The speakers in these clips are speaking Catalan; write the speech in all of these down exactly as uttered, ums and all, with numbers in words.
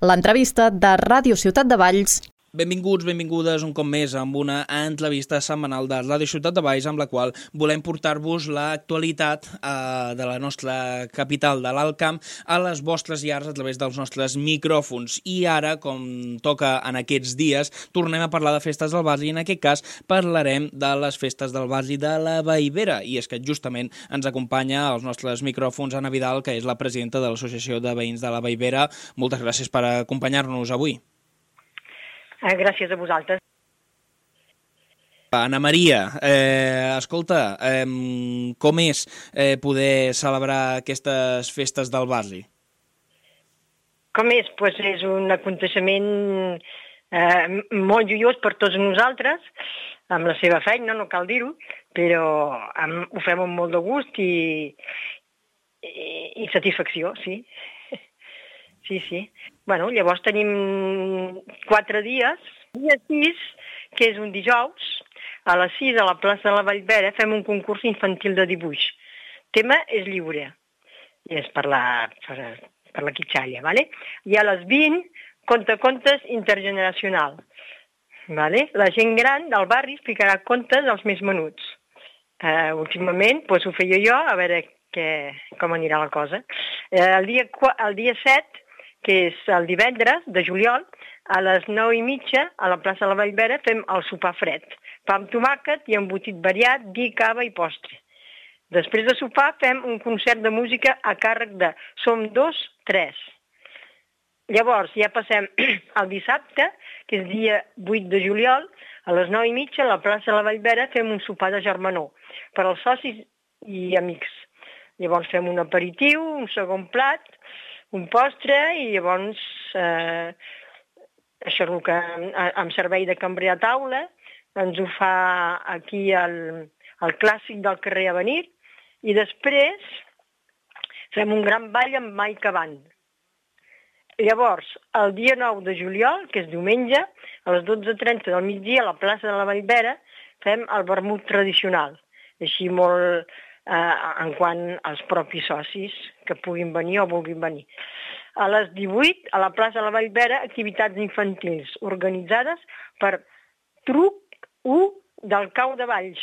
L'entrevista de Ràdio Ciutat de Valls. Benvinguts, benvingudes un cop més amb una entrevista setmanal de Ràdio Ciutat de Valls amb la qual volem portar-vos l'actualitat eh, de la nostra capital de l'Alt Camp a les vostres llars a través dels nostres micròfons. I ara, com toca en aquests dies, tornem a parlar de festes del barri i en aquest cas parlarem de les festes del barri de la Vallvera. I és que justament ens acompanya als nostres micròfons Anna Vidal, que és la presidenta de l'Associació de Veïns de la Vallvera. Moltes gràcies per acompanyar-nos avui. Gràcies a vosaltres. Anna Maria, eh, escolta, eh, com és eh, poder celebrar aquestes festes del barri? Com és? Pues és un aconteixement eh, molt joiós per tots nosaltres, amb la seva feina, no cal dir-ho, però amb, ho fem amb molt de gust i, i, i satisfacció, sí. Sí, sí. Bueno, llavors tenim quatre dies. Dia sis, que és un dijous, a les sis a la plaça de la Vallvera fem un concurs infantil de dibuix. El tema és lliure, i és per la, per, per la quitxalla, ¿vale? I a les vint, contacontes intergeneracional. ¿Vale? La gent gran del barri explicarà contes als més menuts. Uh, últimament pues, ho feia jo, a veure que, com anirà la cosa. Uh, el, dia, el dia set, que és el divendres de juliol, a les nou i mitja, a la plaça de la Vallvera, fem el sopar fred. Pa amb tomàquet i embotit variat, vi, cava i postre. Després de sopar fem un concert de música a càrrec de Som dos, tres. Llavors ja passem al dissabte, que és dia vuit de juliol, a les nou i mitja, a la plaça de la Vallvera, fem un sopar de germanor per als socis i amics. Llavors fem un aperitiu, un segon plat, un postre i llavors eh, això és el que amb servei de cambrer a taula ens ho fa aquí el, el clàssic del carrer Avenir i després fem un gran ball amb Maica Band. Llavors, el dia nou de juliol, que és diumenge, a les dotze trenta del migdia a la plaça de la Vallvera fem el vermut tradicional, així molt eh, en quant als propis socis que puguin venir o vulguin venir. A les divuit, a la plaça de la Vallvera, activitats infantils organitzades per Truc u del Cau de Valls.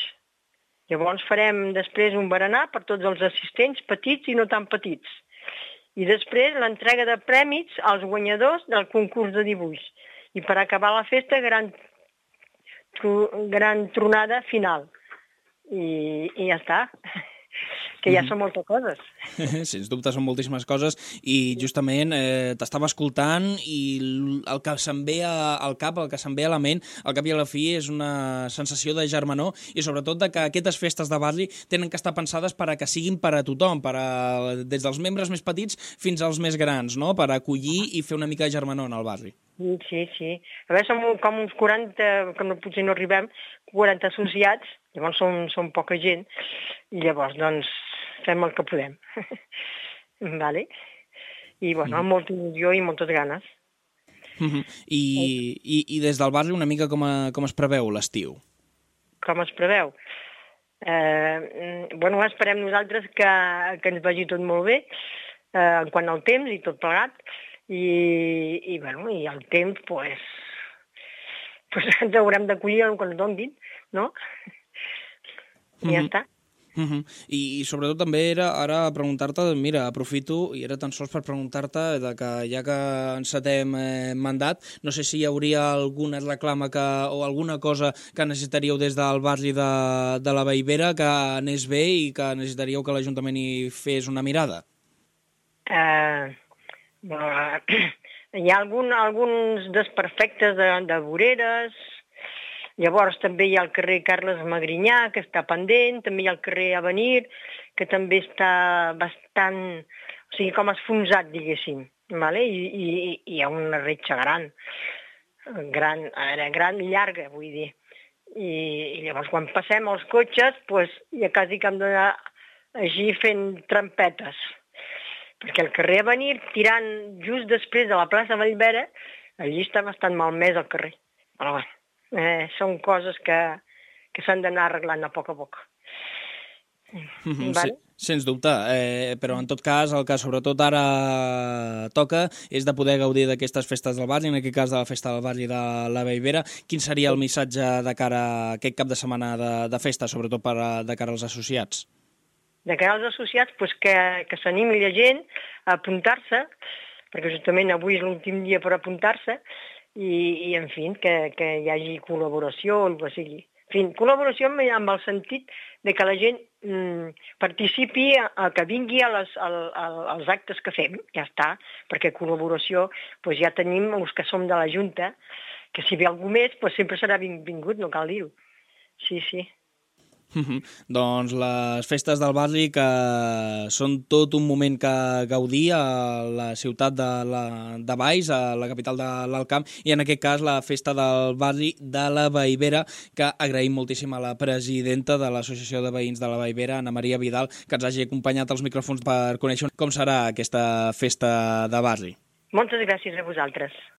Llavors farem després un berenar per tots els assistents, petits i no tan petits. I després l'entrega de prèmits als guanyadors del concurs de dibuix. I per acabar la festa, gran, gran tronada final. I, i ja està. Que ja són moltes coses. Sens dubte són moltíssimes coses i justament eh, t'estava escoltant i el que se'm ve al cap, el que se'm ve a la ment, al cap i a la fi és una sensació de germanor i sobretot de que aquestes festes de barri tenen que estar pensades per a que siguin per a tothom, per a, des dels membres més petits fins als més grans, no? Per acollir i fer una mica de germanor en el barri. Sí, sí. A veure, som com uns quaranta, que no, potser no arribem, quaranta associats, llavors som, som poca gent, i llavors, doncs, fem el que podem. Vale? I, bueno, amb molta il·lusió i moltes ganes. Uh-huh. I, i, I des del barri una mica com, a, com es preveu l'estiu? Com es preveu? Eh, bueno, esperem nosaltres que, que ens vagi tot molt bé, eh, en quant al temps i tot plegat, i, i, bueno, i el temps, pues, pues ens haurem d'acollir el que ens donin, no? I ja està. Uh-huh. I, I sobretot també era ara preguntar-te, mira, aprofito i era tan sols per preguntar-te de que ja que encetem eh, mandat, no sé si hi hauria alguna reclama que, o alguna cosa que necessitaríeu des del barri de, de la Vallvera que anés bé i que necessitaríeu que l'Ajuntament hi fes una mirada. Uh, uh, hi ha algun, alguns desperfectes de, de voreres. Llavors també hi ha el carrer Carles Magrinyà, que està pendent, també hi ha el carrer Avenir, que també està bastant, o sigui, com esfonsat, diguéssim, vale? I, i, i hi ha una retxa gran, gran, era gran, llarga, vull dir. I, i llavors quan passem els cotxes, pues, ja quasi que hem d'anar així fent trampetes, perquè el carrer Avenir, tirant just després de la plaça Vallvera, allí està bastant malmès el carrer. Però bé, Eh, són coses que, que s'han d'anar arreglant a poc a poc. Mm-hmm, Vale? sí, sens dubte, eh, però en tot cas el que sobretot ara toca és de poder gaudir d'aquestes festes del barri, en aquest cas de la festa del barri de la Vallvera. Quin seria el missatge de cara a aquest cap de setmana de, de festa, sobretot per a, de cara als associats? De cara als associats, doncs que, que s'animi la gent a apuntar-se, perquè justament avui és l'últim dia per apuntar-se, i, i en fi, que, que hi hagi col·laboració o el que sigui. En fi, col·laboració amb, amb el sentit de que la gent mm, participi, a, a que vingui a les, a, a, als actes que fem, ja està, perquè col·laboració doncs ja tenim els que som de la Junta, que si ve algú més doncs sempre serà benvingut, no cal dir-ho. Sí, sí. Mm-hmm. Doncs les festes del barri que són tot un moment que gaudir a la ciutat de, la, de Valls, a la capital de l'Alt Camp, i en aquest cas la festa del barri de la Vallvera, que agraïm moltíssim a la presidenta de l'Associació de Veïns de la Vallvera, Anna Maria Vidal, que ens hagi acompanyat als micròfons per conèixer com serà aquesta festa de barri. Moltes gràcies a vosaltres.